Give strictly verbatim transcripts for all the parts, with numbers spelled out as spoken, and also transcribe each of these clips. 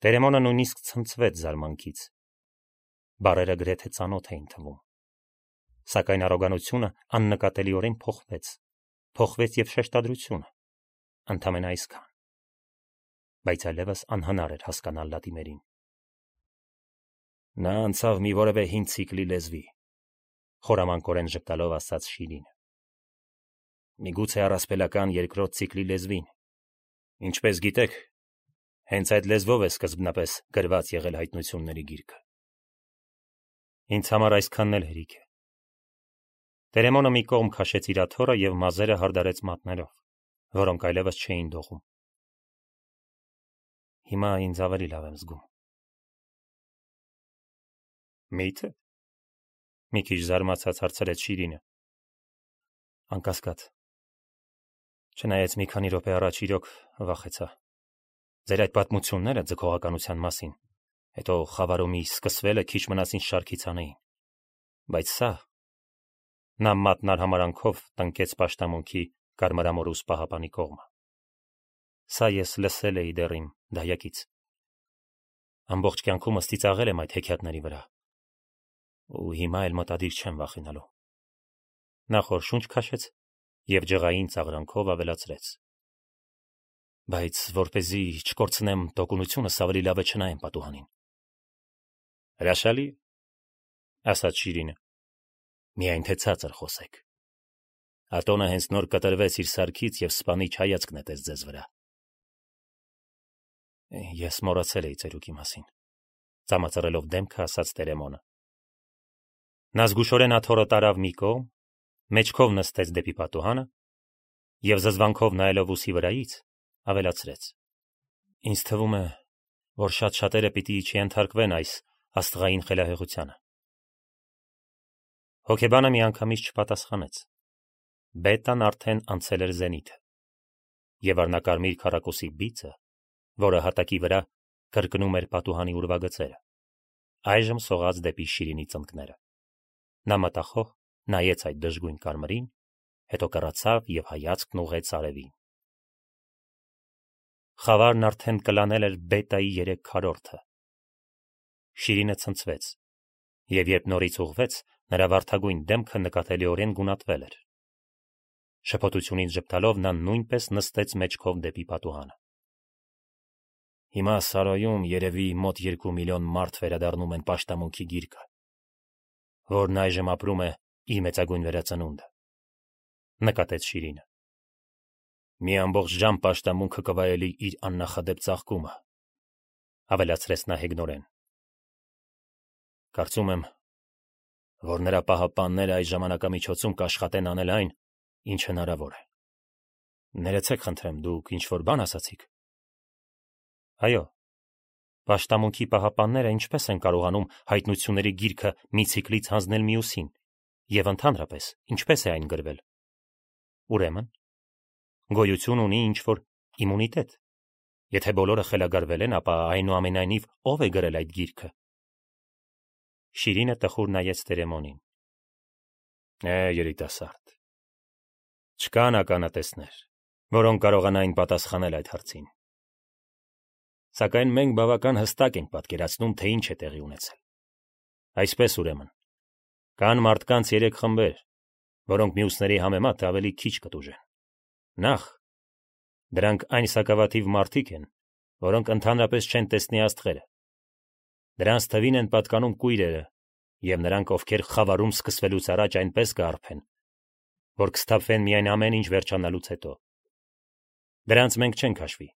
Տերեմոնը նույնիսկ ցնցվեց զարմանքից։ Բառերը գրեթե ծանոթ էին թվում։ Սակայն առոգանությունը աննկատելիորեն փոխվեց, փոխվեց եւ շեշտադրությունը, ընդամենը այսքան։ Բայց այլևս անհնար էր հասկանալ Լատիմերին։ Նա անցավ մի որևէ հին ցիկլի լեզվի, խորամանկորեն ժպտալով ասաց Շիրինը։ Միգուցե առասպելական երկրորդ ցիկլի լեզվին։ Ինչպես գիտեք, հենց այդ լեզվով է սկզբնապես գրված եղել հայտնությունների գիրքը։ Ինձ համար այսքանն էլ հերիք է։ Տերեմոնը մի կողմ քաշեց իր աթոռը եւ մազերը հարդարեց մատներով, որոնք այլևս չէին դողում։ Հիմա ինձ ավելի լավ եմ զգում։ Մի՞թե։ Մի քիչ զարմացած հարցրեց Շիրինը։ Անկասկած։ Չնայած մի քանի րոպե առաջ իրոք վախեցա։ Ձեր այդ պատմությունները ձգողականության մասին, հետո խավարումի սկսվելը քիչ մնաց ինձ շարքից անեին։ Բայց սա… Նա մատն արհամարանքով տնկեց պաշտամունքի կարմրամորուս պահապանի կողմը։ Սա ես լսել էի դեռ իմ դայակից։ Ամբողջ կյանքումս ծիծաղել եմ այդ հեքիաթների վրա։ Ու հիմա էլ մտադիր չեմ վախենալու։ Նա խոր շունչ քաշեց եւ ջղային ծաղրանքով ավելացրեց. Բայց որպեսզի չկորցնեմ տոկունությունս, ավելի լավ է չնայեմ պատուհանին։ Հրաշալի, ասաց Շիրինը։ Միայն թե ցածր խոսեք։ Ատոնը հենց նոր կտրվեց իր սարքից եւ սպանիչ հայացք նետեց ձեզ վրա։ Ես մոռացել էի ծերուկի մասին, ծամածռելով դեմքը ասաց Տերեմոնը։ Նա զգուշորեն աթոռը տարավ մի կողմ, մեջքով նստեց դեպի պատուհանը եւ զզվանքով նայելով ուսի վրայից ավելացրեց. Ինձ թվում է, որ շատ շատերը պիտի չենթարկվեն այս աստղային խելահեղությանը։ Հոգեբանը միանգամից չպատասխանեց։ Բետան արդեն անցել էր զենիթը, եւ առնակարմիր քառակուսի բիծը, որը հատակի վրա կրկնում էր պատուհանի ուրվագծերը, այժմ սողաց դեպի Շիրինի ծնկները։ Նա մտախոհ նայեց այդ դժգույն կարմրին, հետո կռացավ եւ հայացքն ուղղեց արևին։ Խավարն արդեն կլանել էր բետայի երեք քառորդը։ Շիրինը ցնցվեց, եւ երբ նորից ուղղվեց, նրա վարդագույն դեմքը նկատելիորեն գունատվել էր։ Շփոթությունից ժպտալով նա նույնպես նստեց մեջքով դեպի պատուհանը։ Հիմա Սարոյում երևի մոտ երկու միլիոն մարդ վերադառնում են պաշտամունքի գիրկը, որն այժմ ապրում է իր մեծագույն վերածնունդը, նկատեց Շիրինը։ Մի ամբողջ ժամ պաշտամունքը կվայելի իր աննախադեպ ծաղկումը, ավելացրեց նա հեգնորեն։ Կարծում եմ, որ նրա պահապանները այս ժամանակամիջոցում կաշխատեն անել այն, ինչ հնարավոր է։ Ներեցեք խնդրեմ, դուք ինչ-որ բան ասացիք։ Այո, պաշտամունքի պահապանները ինչպես են կարողանում հայտնությունների գիրքը մի ցիկլից հանձնել մյուսին, եւ ընդհանրապես ինչպես է այն գրվել։ Ուրեմն, գոյություն ունի ինչ-որ իմունիտետ։ Եթե բոլորը խելագարվել են, ապա այնուամենայնիվ ով է գրել այդ գիրքը։ Շիրինը տխուր նայեց Տերեմոնին։ Է, երիտասարդ։ Չկան ականատեսներ, որոնք կարողանային պատասխանել այդ հարցին։ Սակայն մենք բավական հստակ ենք պատկերացնում, թե ինչ է տեղի ունեցել։ Այսպես ուրեմն, կան մարդկանց երեք խմբեր, որոնք մյուսների համեմատ ավելի քիչ կտուժեն։ Նախ, դրանք այն սակավաթիվ մարդիկ են, որոնք ընդհանրապես չեն տեսնի աստղերը։ Դրանց թվին են պատկանում կույրերը, եւ նրանք, ովքեր խավարում սկսվելուց առաջ այնպես կարփեն, որ կսթափվեն միայն ամեն ինչ վերջանալուց հետո։ Դրանց մենք չենք հաշվի,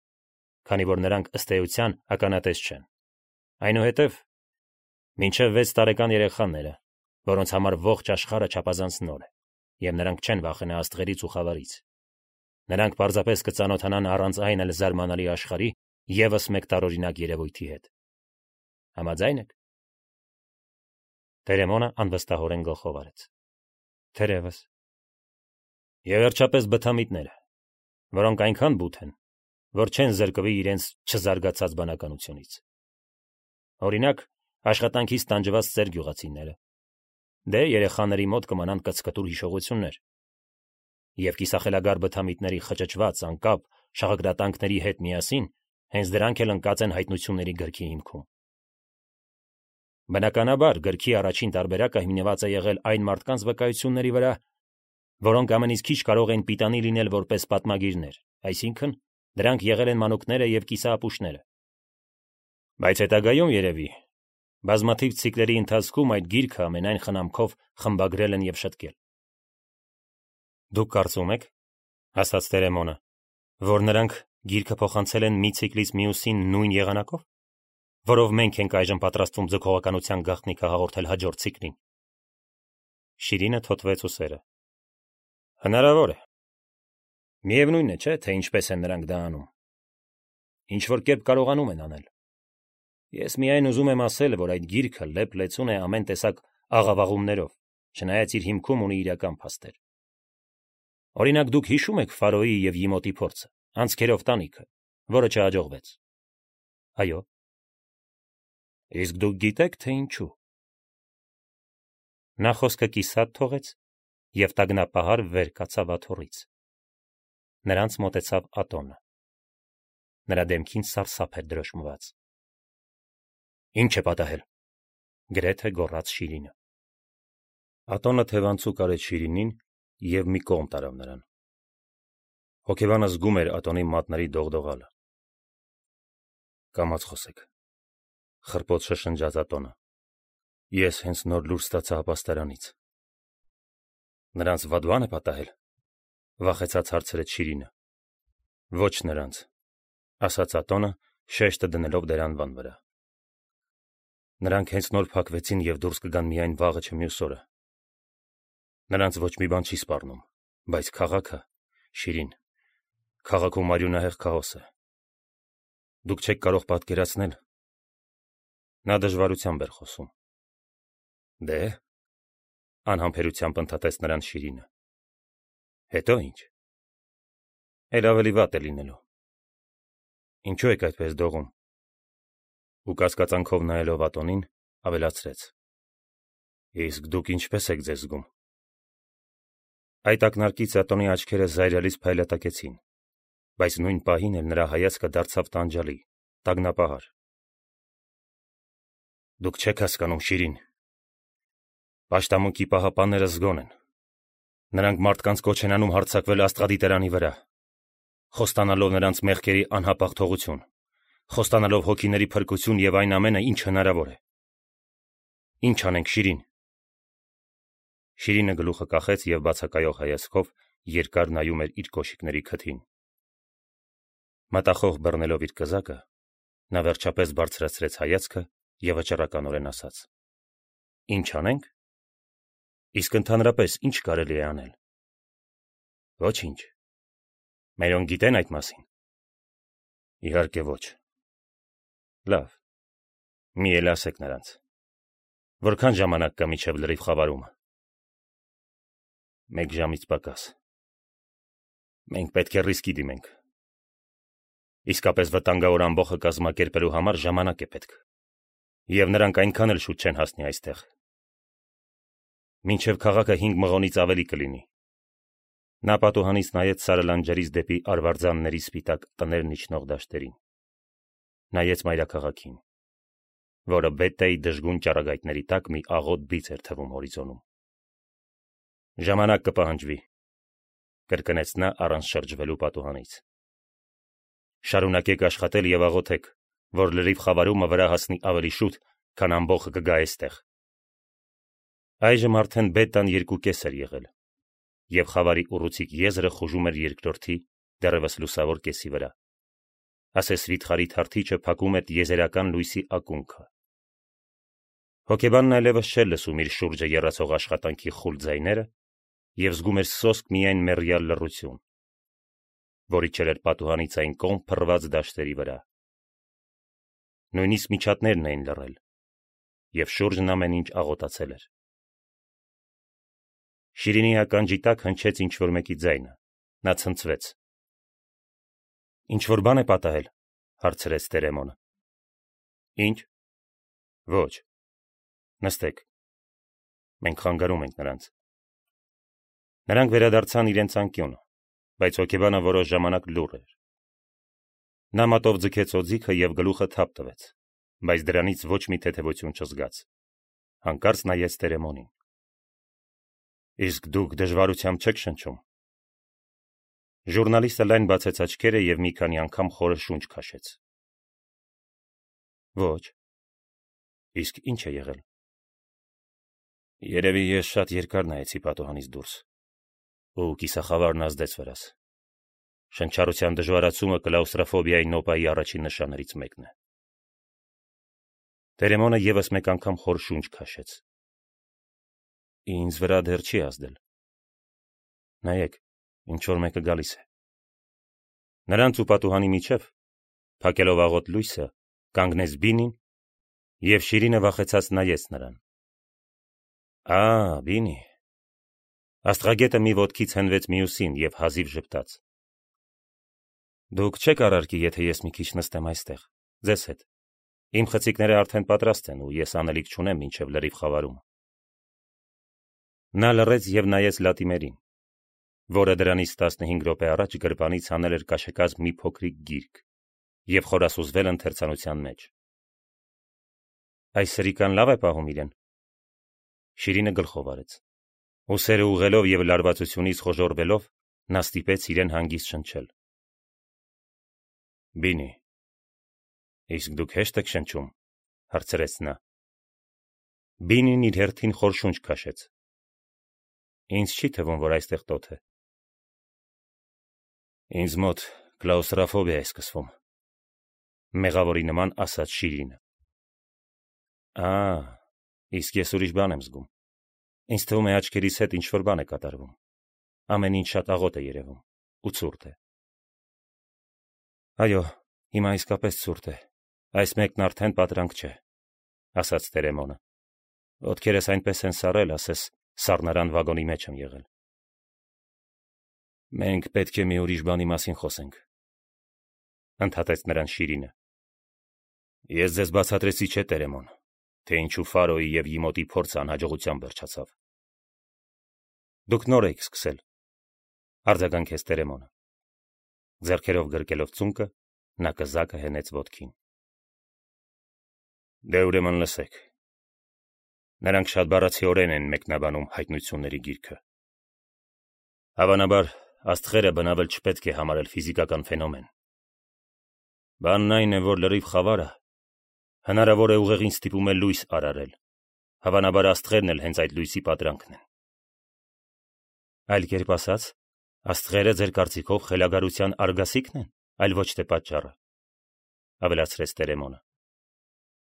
քանի որ նրանք ըստ էության ականատես չեն։ Այնուհետև մինչև վեց տարեկան երեխաները, որոնց համար ողջ աշխարհը չափազանց նոր է, եւ նրանք չեն վախենա աստղերից ու խավարից։ Նրանք պարզապես կծանոթանան առանց այն էլ զարմանալի աշխարհի եւս մեկ տարօրինակ երևույթի հետ։ Համաձայն եք։ Տերեմոնը անվստահորեն գլխով արեց։ Թերևս։ Եվ վերջապես բթամիտները, որոնք այնքան բութ են, որ չեն զրկվի իրենց չզարգացած բանականությունից։ Օրինակ, աշխատանքից տանջված ծեր գյուղացիները։ Դե երեխաների մոտ կմնան կծկտուր հիշողություններ։ Եվ կիսախելագար բթամիտների խճճված անկապ շաղագրատանքների հետ միասին Հենց դրանք էլ ընկած են հայտնությունների գրքի հիմքում։ Բնականաբար, գրքի առաջին տարբերակը հիմնված է եղել այն մարդկանց վկայությունների վրա, որոնք ամենից քիչ կարող են պիտանի լինել որպես պատմագիրներ, այսինքն դրանք եղել են մանուկները եւ կիսաապուշները։ Բայց հետագայում երևի բազմաթիվ ցիկլերի ընթացքում այդ գիրքը ամենայն խնամքով խմբագրել են եւ շտկել։ Դուք կարծում եք, ասաց Տերեմոնը, որ նրանք գիրքը փոխանցել են մի ցիկլից մյուսին նույն եղանակով, որով մենք ենք այժմ պատրաստվում ձգողականության գաղտնիքը հաղորդել հաջորդ ցիկլին։ Շիրինը թոթվեց ուսերը։ Հնարավոր է։ Միևնույն է, չէ՞, թե ինչպես են նրանք դա անում։ Ինչ որ կերպ կարողանում են անել։ Ես միայն ուզում եմ ասել, որ այդ գիրքը լեփ-լեցուն է ամեն տեսակ աղավաղումներով, չնայած իր հիմքում ունի իրական փաստեր։ Օրինակ, դուք հիշում եք Ֆարոյի եւ Իմոտի փորձը, անցքերով տանիքը, որը չհաջողվեց։ Այո։ Իսկ դուք գիտեք, թե ինչու։ Նա խոսքը կիսատ թողեց եւ տագնապահար վեր կացավ աթոռից։ Նրանց մոտեցավ Ատոնը։ Նրա դեմքին սարսափ էր դրոշմված։ Ինչ է պատահել, գրեթե գոռաց Շիրինը։ Ատոնը թևանցուկ արեց Շիրինին եւ մի կողմ տարավ նրան։ Հոգեբանը զգում էր Ատոնի մատների դողդողալը։ Կամաց խոսեք, խռպոտ շշնջաց Ատոնը։ Ես հենց նոր լուր ստացա ապաստարանից։ Նրանց վադվան է պատահել, վախեցած հարցրեց Շիրինը։ Ոչ նրանց, ասաց Ատոնը, շեշտը դնելով դերանվան վրա։ Նրանք հենց նոր փակվեցին եւ դուրս կգան միայն վաղը չմյուս օրը։ Նրանց ոչ մի բան չի սպառնում, բայց քաղաքը, Շիրին, քաղաքում արյունահեղ քաոս է։ Դուք չեք կարող պատկերացնել։ Նա դժվարությամբ էր խոսում։ Դե, անհամբերությամբ ընդհատեց նրան Շիրինը։ Հետո ինչ։ Էլ ավելի վատ է լինելու։ Ինչու եք այդպես դողում։ Ու կասկածանքով նայելով Ատոնին, ավելացրեց. Իսկ դուք ինչպես եք ձեզ զգում։ Այդ ակնարկից Ատոնի աչքերը զայրալից փայլատակեցին, բայց նույն պահին էլ նրա հայացքը դարձավ տանջալի, տագնապահար։ Դուք չեք հասկանում, Շիրին։ Պաշտամունքի պահապանները զգոն են։ Նրանք մարդկանց կոչ են անում հարձակվել Աստղադիտարանի վրա, խոստանալով նրանց մեղքերի անհապաղ թողություն, խոստանալով հոգիների փրկություն եւ այն ամենը, ինչ հնարավոր է։ Ինչ անենք, Շիրին։ Շիրինը գլուխը կախեց եւ բացակայող հայացքով երկար նայում էր իր կոշիկների քթին։ Մտախոհ բռնելով իր կզակը, նա վերջապես բարձրացրեց հայացքը եւ վճռականորեն ասաց. Ինչ անենք։ Իսկ ընդհանրապես ինչ կարելի է անել։ Ոչինչ։ Մերոնք գիտեն այդ մասին։ Իհարկե ոչ։ Լավ։ Մի էլ ասեք նրանց։ Որքան ժամանակ կա մինչև լրիվ խավարումը։ Մեկ ժամից պակաս։ Մենք պետք է ռիսկի դիմենք։ Իսկապես վտանգավոր ամբոխը կազմակերպելու համար ժամանակ է պետք։ Եվ նրանք այնքան էլ շուտ չեն հասնի այստեղ։ Մինչև քաղաքը հինգ մղոնից ավելի կլինի։ Նա պատուհանից նայեց սարը լանջերից դեպի արվարձանների սպիտակ տներն իջնող դաշտերին։ Նայեց մայրաքաղաքին, որը Բետտայի դժգույն ճառագայթների տակ մի աղոտ բիծ էր թվում հորիզոնում։ Ժամանակ կպահանջվի, կրկնեց նա առանց շրջվելու պատուհանից։ Շարունակեք աշխատել եւ աղոթեք, որ լրիվ խավարումը վրա հասնի ավելի շուտ, քան ամբոխը կգա այստեղ։ Այժմ արդեն Բետտան երկու կես էր եղել, եւ խավարի ուռուցիկ եզրը խուժում էր երկրորդի դեռևս լուսավոր կեսի վրա։ Ասես վիթխարի թարթիչը փակում էր եզերական լույսի ակունքը։ Հոգեբանն այլևս չէր լսում իր շուրջը եռացող աշխատանքի խուլ ձայները եւ զգում էր սոսկ միայն մեռյալ լռություն, որի չեր պատուհանից այն կողմ փռված դաշտերի վրա։ Նույնիսկ միջատներն էին լռել, եւ շուրջն ամեն ինչ աղոտացել էր։ Շիրինի ականջի տակ հնչեց ինչ-որ մեկի ձայնը։ Նա ցնցվեց։ Ինչ-որ բան է պատահել, հարցրեց Տերեմոնը։ Ինչ։ Ոչ։ Նստեք։ Մենք խանգարում ենք նրանց։ Նրանք վերադարձան իրենց անկյունը, բայց հոգեբանը որոշ ժամանակ լուռ էր։ Նա մատով ձգեց օձիքը և գլուխը թափ տվեց, բայց դրանից ոչ մի թեթևություն չզգաց։ Հանկարծ նայեց Տերեմոնին։ Իսկ դուք դժվարությամբ չեք շնչում։ Ժուրնալիստը լայն բացեց աչքերը և մի քանի անգամ խորը շունչ քաշեց։ Ոչ։ Իսկ ինչ է եղել։ Երևի ես շատ երկար նայեցի պատուհանից դուրս, ու կիսախավարն ազդեց վրաս։ Շնչառության դժվարացումը կլաուստրոֆոբիայի նոպայի առաջին նշաններից մեկն է։ Տերեմոնը ևս մեկ անգամ խոր շունչ քաշեց։ Ինձ վրա դեռ չի ազդել։ Նայեք, ինչ-որ մեկը գալիս է։ Նրանց ու պատուհանի միջև, փակելով աղոտ լույսը, կանգնեց Բինին, և Շիրինը վախեցած նայեց նրան։ Ա, Բինի։ Աստղագետը մի ոտքից հենվեց մյուսին և հազիվ ժպտաց։ Դուք չեք առարկի, եթե ես մի քիչ նստեմ այստեղ, ձեզ հետ։ Իմ խցիկները արդեն պատրաստ են, ու ես անելիք չունեմ մինչև լրիվ խավարումը։ Նա լռեց և նայեց Լատիմերին, որը դրանից տասնհինգ րոպե առաջ գրպանից հանել էր կաշեկած մի փոքրիկ գիրք և խորասուզվել ընթերցանության մեջ։ Այս սրիկան լավ է պահում իրեն։ Շիրինը գլխով արեց։ Ուսերը ուղղելով և լարվածությունից խոժոռվելով, նա ստիպեց իրեն հանգիստ շնչել։ Բինի, իսկ դուք հեշտ եք շնչում, հարցրեց նա։ Բինին իր հերթին խոր շունչ քաշեց։ Ինձ չի թվում, որ այստեղ տոթ է։ Ինձ մոտ կլաուստրոֆոբիա է սկսվում, մեղավորի նման ասաց Շիրինը։ Ա, իսկ ես ուրիշ բան եմ զգում։ Ինձ թվում է աչքերիս հետ ինչ-որ բան է կատարվում։ Ամեն ինչ շատ աղոտ է երևում, ու ցուրտ է։ Այո, հիմա իսկապես ցուրտ է։ Այս մեկն արդեն պատրանք չէ, ասաց Տերեմոնը։ Ոտքերս այնպես են սառել, ասես սառնարան վագոնի մեջ եմ եղել։ Մենք պետք է մի ուրիշ բանի մասին խոսենք, ընդհատեց նրան Շիրինը։ Ես ձեզ բացատրեցի, չէ, Տերեմոն, թե ինչու Ֆարոյի և Իմոտի փորձը անհաջողությամբ վերջացավ։ Դուք նոր եք սկսել, արձագանքեց Տերեմոնը։ Ձեռքերով գրկելով ծունկը, նա կզակը հենեց ոտքին։ Դե ուրեմն լսեք։ Նրանք շատ բառացիորեն են մեկնաբանում հայտնությունների գիրքը։ Հավանաբար, աստղերը բնավել չպետք է համարել ֆիզիկական ֆենոմեն։ Բանն այն է, որ լրիվ խավարը հնարավոր է ուղեղին ստիպում է լույս արարել։ Հավանաբար աստղերն էլ հենց այդ լույսի պատրանքն են։ Այլ կերպ ասած, աստղերը ձեր կարծիքով խելագարության արգասիքն են, այլ ոչ թե պատճառը, ավելացրեց Տերեմոնը։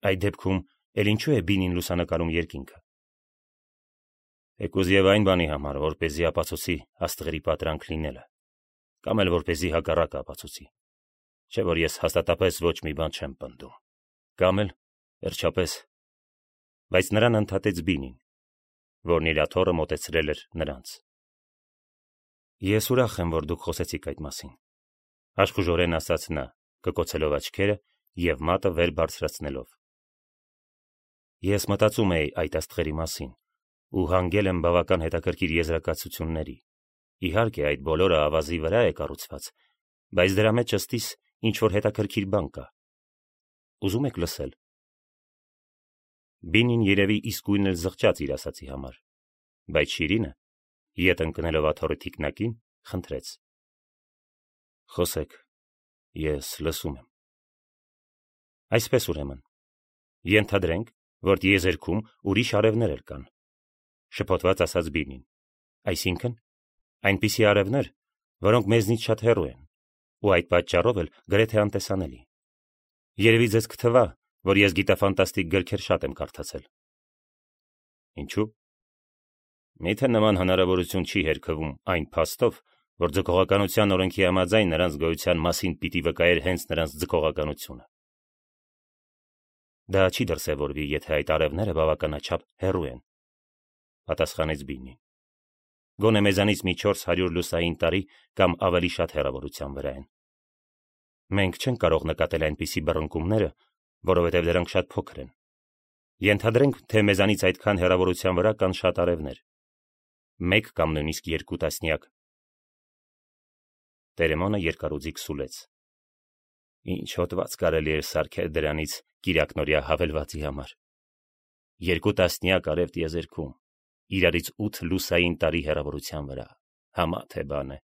Այդ դեպքում էլ ինչու է Բինին լուսանկարում երկինքը։ Եկուզ եւ այն բանի համար, որպեսզի ապացուցի աստղերի պատրանք լինելը, կամ էլ որպեսզի հակառակը ապացուցի, չէ՞ որ ես հաստատապես ոչ մի բան չեմ պնդում, կամ էլ, վերջապես, բայց նրան ընդհատեց Բինին, որն իր աթոռը մոտեցրել էր նրանց։ Ես ուրախ եմ, որ դուք խոսեցիք այդ մասին, աշխուժորեն ասաց նա, կկոցելով աչքերը և մատը վեր բարձրացնելով։ Ես մտածում էի այդ աստղերի մասին ու հանգել եմ բավական հետաքրքիր եզրակացությունների։ Իհարկե, այդ բոլորը ավազի վրա է կառուցված, բայց դրա մեջ ըստիս ինչ-որ հետաքրքիր բան կա։ Ուզում եք լսել։ Բինին երևի իսկույն էլ զղջաց իր ասացի համար, բայց Շիրինը, ետ ընկնելով աթոռի թիկնակին, խնդրեց. Խոսեք, ես լսում եմ։ Այսպես ուրեմն, ենթադրենք, որ տիեզերքում ուրիշ արևներ էլ կան, շփոթված ասաց Բինին, այսինքն, այնպիսի արևներ, որոնք մեզնից շատ հեռու են, ու այդ պատճառով էլ գրեթե անտեսանելի։ Երևի ձեզ կթվա, որ ես գիտաֆանտաստիկ գրքեր շատ եմ կարդացել։ Ինչու՞։ Միթե նման հնարավորություն չի հերքվում այն փաստով, որ ձգողականության օրենքի համաձայն նրանց գոյության մասին պիտի վկայեր հենց նրանց ձգողականությունը։ Դա չի դրսևորվի, եթե այդ արևները բավականաչափ հեռու են, պատասխանեց Բինին։ Գոնե մեզանից մի չորս հարյուր լուսային տարի կամ ավելի շատ հեռավորության վրա են։ Մենք չենք կարող նկատել այնպիսի բռնկումները, որովհետև դրանք շատ փոքր են։ Ենթադրենք, թե մեզանից այդքան հեռավորության վրա կան շատ արևներ, մեկ կամ նույնիսկ երկու տասնյակ։ Տերեմոնը երկարուձիգ սուլեց։ Ինչ հոտված կարելի էր սարքել դրանից կիրակնորյա հավելվածի համար։ Երկու տասնյակ արև տիեզերքում, իրարից ութ լուսային տարի հեռավորության վրա, համա թե բան է։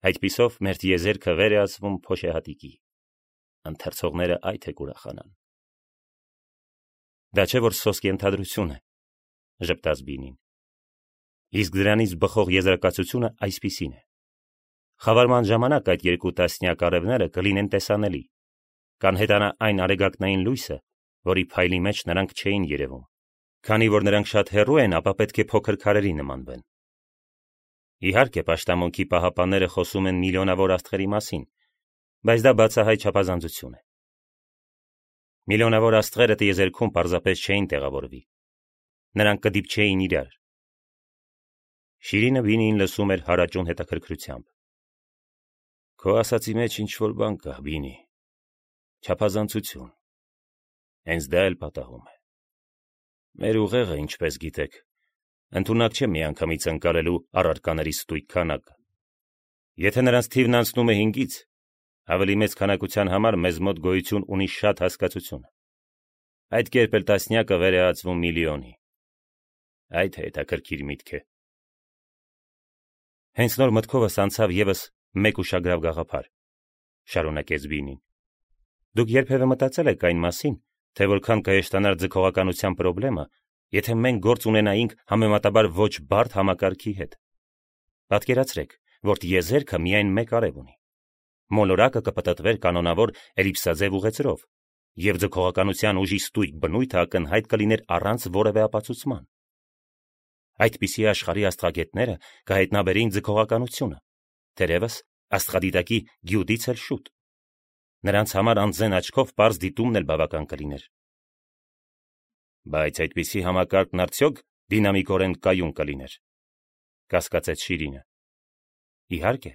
Այդպիսով մեր տիեզերքը վեր է ասվում փոշեհատիկի, ընթերցողները այդ է կուրախանան։ Դա չէ որ սոսկ ենթադրություն է, ժպտաց Բինին։ Իսկ դրանից բխող եզրակացությունը այսպիսին է. խավարման ժամանակ այդ երկու տասնյակ արևները կլինեն տեսանելի, կանհետանա այն արեգակնային լույսը, որի փայլի մեջ նրանք չէին երևում, քանի որ նրանք շատ հեռու են, ապա պետք է փոքր քարերի նմանվեն։ Իհարկե, պաշտամունքի պահապանները խոսում են միլիոնավոր աստղերի մասին, բայց դա բացահայ չափազանցություն է։ Միլիոնավոր աստղերը տիեզերքում պարզապես չէին տեղավորվի, նրանք կդիպչեին իրար։ Շիրինը Բինիին լսում էր հարաճուն հետաքրքրությամբ։ Քո ասացի մեջ ինչ-որ բան կա, Բինի, չափազանցություն, հենց դա էլ պատահում է։ Մեր ուղեղը, ինչպես գիտեք, ընդունակ չէ միանգամից ընկալելու առարկաների ստույգ քանակը։ Եթե նրանց թիվն անցնում է հինգից, ավելի մեծ քանակության համար մեզ մոտ գոյություն ունի շատ հասկացություն։ Այդ կերպ էլ տասնյակը վեր է ածվում միլիոնի։ Այդ հետաքրքիր միտք է։ Հենց նոր մտքովս անցավ եւս մեկ ուշագրավ գաղափար, շարունակեց Բինին։ Դուք երբևէ մտածել եք այն մասին, թե որքան կհեշտանար ձգողականության խնդրը, եթե մենք գործ ունենայինք համեմատաբար ոչ բարդ համակարգի հետ։ Պատկերացրեք, որ տիեզերքը միայն մեկ արև ունի։ Մոլորակը կպտտվեր կանոնավոր էլիպսաձև ուղեծրով, եւ ձգողականության ուժի ստույգ բնույթը ակնհայտ կլիներ առանց որևէ ապացուցման։ Այդպիսի աշխարհի աստղագետները կհայտնաբերեին ձգողականությունը, թերևս աստղադիտակի գյուտից էլ շուտ։ Նրանց համար անձեն աչքով պարզ դիտումն էլ բավական կլիներ։ Բայց այդպիսի համակարգն արդյոք դինամիկորեն կայուն կլիներ, կասկածեց Շիրինը։ Իհարկե։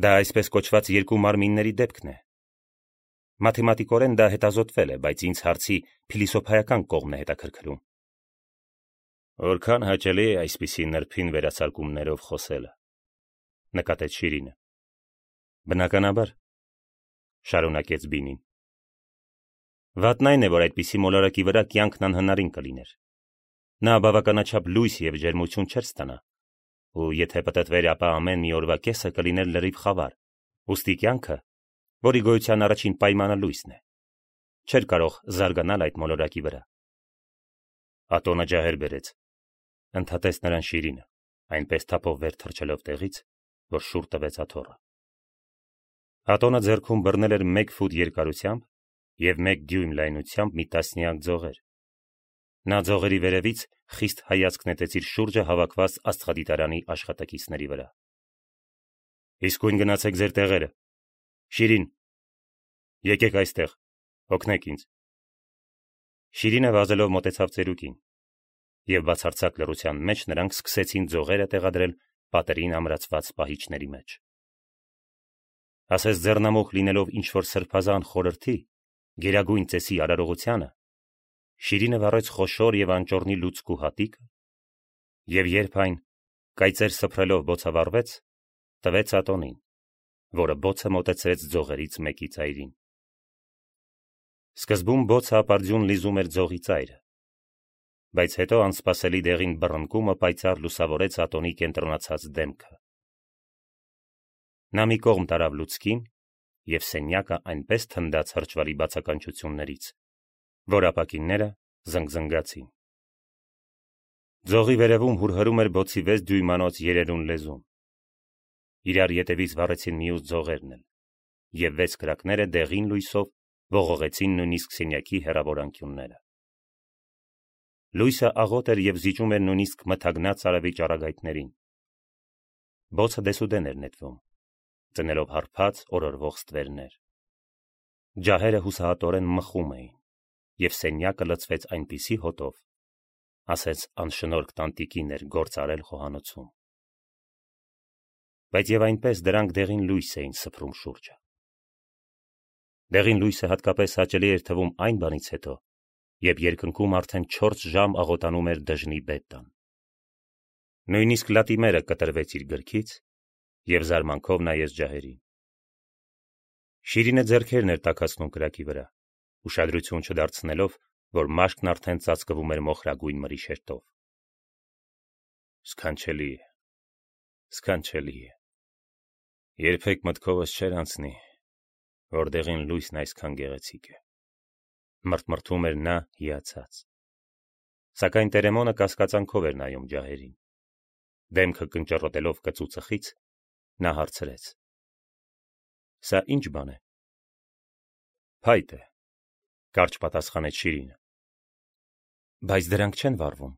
Դա այսպես կոչված երկու մարմինների դեպքն է։ Մաթեմատիկորեն դա հետազոտվել է, բայց ինձ հարցի փիլիսոփայական կողմն է հետաքրքրում։ Որքան հաճելի է այսպիսի նրբին վերացարկումներով խոսելը, նկատեց Շիրինը։ Բնականաբար, շարունակեց Բինին։ Վատն այն է, որ այդպիսի մոլորակի վրա կյանքն անհնարին կլիներ։ Նա բավականաչափ լույս եւ ջերմություն չէր ստանա, ու եթե պտտվեր, ապա ամեն մի օրվա կեսը կլիներ լրիվ խավար, ուստի կյանքը, որի գոյության առաջին պայմանը լույսն է, չէր կարող զարգանալ այդ մոլորակի վրա։ Ատոնը ջահեր բերեց, ընդհատեց նրան Շիրինը, այնպես թափով վեր թռչելով տեղից, որ շուռ տվեց աթոռը։ Ատոնը ձեռքում բռնել էր մեկ ֆուտ երկարությամբ եւ մեկ դյույմ լայնությամբ մի տասնյակ ձողեր։ Նա ձողերի վերևից խիստ հայացք նետեց իր շուրջը հավաքված աստղադիտարանի աշխատակիցների վրա։ Իսկույն գնացեք ձեր տեղերը։ Շիրին, եկեք այստեղ, օգնեք ինձ։ Շիրինը վազելով մոտեցավ ծերուկին, եւ բացարձակ լռության մեջ նրանք սկսեցին ձողերը տեղադրել պատերին ամրացված պահիճների մեջ։ Ասես ձեռնամուխ լինելով ինչ-որ սրբազան խորհրդի, գերագույն ծեսի արարողությանը, Շիրինը վառեց խոշոր եւ անճոռնի լուցկու հատիկը, եւ երբ այն կայծեր սփռելով բոցավառվեց, տվեց Ատոնին, որը բոցը մոտեցրեց ձողերից մեկի ծայրին։ Սկզբում բոցը ապարդյուն լիզում էր ձողի ծայրը, բայց հետո անսպասելի դեղին բռնկումը պայծառ լուսավորեց Ատոնի կենտրոնացած դեմքը։ Նա մի կողմ տարավ լուցկին, եւ սենյակը այնպես թնդաց հրճվալի բացականչություններից, որ ապակինները զնգզնգացին։ Ձողի վերևում հուրհրում էր բոցի վեց դյույմանոց երերուն լեզուն։ Իրար ետևից վառեցին մյուս ձողերն էլ, եւ վեց կրակները դեղին լույսով ողողեցին նույնիսկ սենյակի հեռավոր անկյունները։ Լույսը աղոտ էր եւ զիջում էր նույնիսկ մթագնած արևի ճառագայթներին։ Բոցը դեսուդեն էր նետվում, ծնելով հարբած օրորվող ստվերներ։ Ջահերը հուսահատորեն մխում էին, եւ սենյակը լցվեց այնպիսի հոտով, ասես անշնորհք տանտիկին էր գործ արել խոհանոցում։ Բայց եւ այնպես դրանք դեղին լույս էին սփռում շուրջը։ Դեղին լույսը հատկապես հաճելի էր թվում այն բանից հետո, երբ երկնքում արդեն չորս ժամ աղոտանում էր դժնի բետան։ Նույնիսկ Լատիմերը կտրվեց իր գրքից եւ զարմանքով նայեց ջահերին։ Շիրինը ձեռքերն էր տաքացնում կրակի վրա, ուշադրություն չդարձնելով, որ մաշկն արդեն ծածկվում էր մոխրագույն մրի շերտով։ Սքանչելի է, սքանչելի է։ Երբեք մտքովս չէր անցնի, որտեղին լույսն այսքան գեղեցիկ է։ Մրթմրթում էր նա հիացած։ Սակայն Տերեմոնը կասկածանքով էր նայում ջահերին։ Դեմքը կնճռոտելով կծուծխից, նա հարցրեց. Սա ինչ բան է։ Փայտ է, կարճ պատասխանեց Շիրինը։ Բայց դրանք չեն վառվում։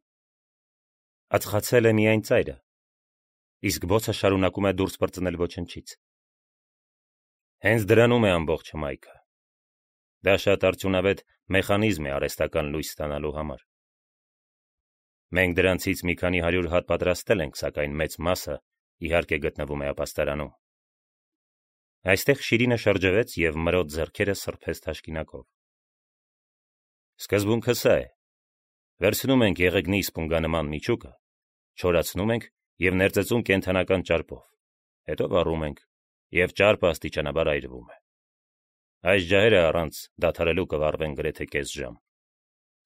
Ածխացել է միայն ծայրը, իսկ բոցը շարունակում է դուրս պրծնել ոչնչից։ Հենց դրանում է ամբողջ հմայքը։ Դա շատ արդյունավետ մեխանիզմ է արհեստական լույս ստանալու համար։ Մենք դրանցից մի քանի հարյուր հատ պատրաստել ենք, սակայն մեծ մասը իհարկե գտնվում է ապաստարանում։ Այստեղ Շիրինը շրջվեց և մրոտ ձեռքերը սրբեց թաշկինակով։ Սկզբունքը սա է. վերցնում ենք եղեգնի սպունգանման միջուկը, չորացնում ենք և ներծծում կենդանական ճարպով, հետո վառում ենք, և ճարպը աստիճանաբար այրվում է։ Այս ջահերը առանց դադարելու կվառվեն գրեթե կես ժամ։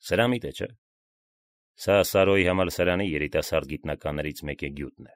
Սրամիտ է, չէ՞։ Սա Սարոյի համալսարանի երիտասարդ գիտնականներից մեկի գյուտն է։